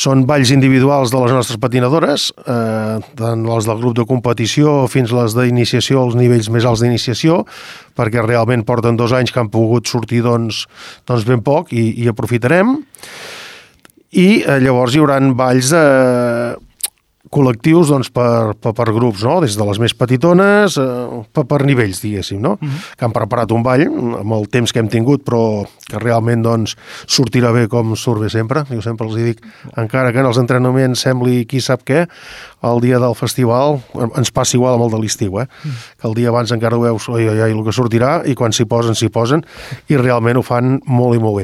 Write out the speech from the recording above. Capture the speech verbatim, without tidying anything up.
Són balls individuals de les nostres patinadores, eh, tant les del grup de competició fins les d'iniciació, els nivells més alts d'iniciació, perquè realment porten dos anys que han pogut sortir doncs, doncs ben poc i, i aprofitarem. I eh, llavors hi haurà balls de col·lectius doncs, per, per, per grups, no? Des de les més petitones eh, per, per nivells, diguéssim, no? Uh-huh. Que han preparat un ball amb el temps que hem tingut, però que realment doncs, sortirà bé com surt bé sempre. Jo sempre els dic, encara que en els entrenaments sembli qui sap què, el dia del festival ens passa igual amb el de l'estiu, eh? Uh-huh. Que el dia abans encara ho veus, oi, oi, oi, el que sortirà, i quan s'hi posen, s'hi posen, i realment ho fan molt i molt bé.